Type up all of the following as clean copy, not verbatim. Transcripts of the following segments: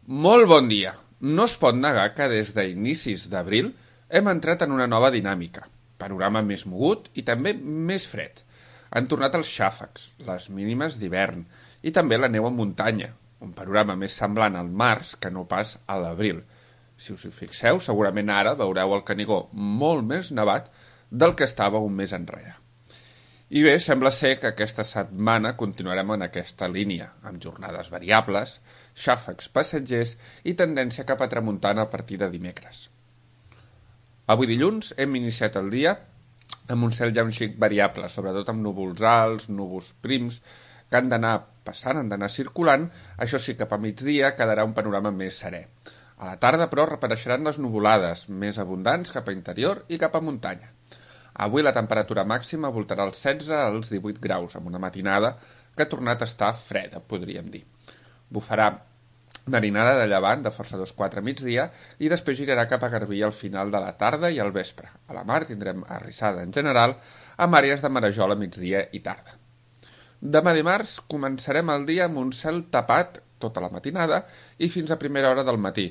Molt bon dia. No es pot negar que des d'inicis d'abril hem entrat en una nova dinàmica. Panorama més mogut i també més fred. Han tornat els xàfecs, les mínimes d'hivern i també la neu en muntanya, un panorama més semblant al març que no pas a l'abril. Si us hi fixeu, segurament ara veureu el Canigó molt més nevat del que estava un mes enrere. I bé, sembla ser que aquesta setmana continuarem en aquesta línia, amb jornades variables, xàfecs passatgers i tendència cap a tramuntana a partir de dimecres. Avui dilluns hem iniciat el dia amb un cel ja un xic variable, sobretot amb núvols alts, núvols prims, que han d'anar passant, han d'anar circulant, això sí, cap a migdia quedarà un panorama més serè. A la tarda, però, reapareixeran les nuvolades, més abundants cap a interior i cap a muntanya. Avui la temperatura màxima voltarà als 16 als 18 graus, amb una matinada que ha tornat a estar freda, podríem dir. Bufarà marinada de llevant de força 2-4 a migdia i després girarà cap a Garbí al final de la tarda i al vespre. A la mar tindrem arrissada en general, amb àrees de marejol a migdia i tarda. Demà dimarts començarem el dia amb un cel tapat tota la matinada i fins a primera hora del matí.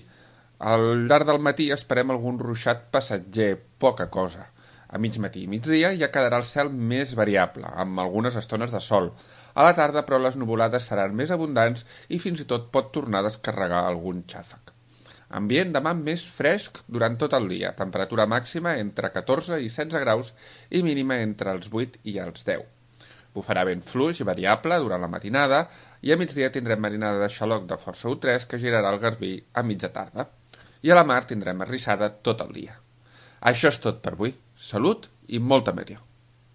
Al llarg del matí esperem algun ruixat passatger, poca cosa. A mig matí i migdia ja quedarà el cel més variable, amb algunes estones de sol. A la tarda, però, les nuvolades seran més abundants i fins i tot pot tornar a descarregar algun xàfec. Ambient demà més fresc durant tot el dia, temperatura màxima entre 14 i 16 graus i mínima entre els 8 i els 10. Bufarà vent fluix i variable durant la matinada i a migdia tindrem marinada de xaloc de força U3 que girarà al Garbí a mitja tarda. I a la mar tindrem arrissada tot el dia. Això és tot per avui. Salut i molta meteo.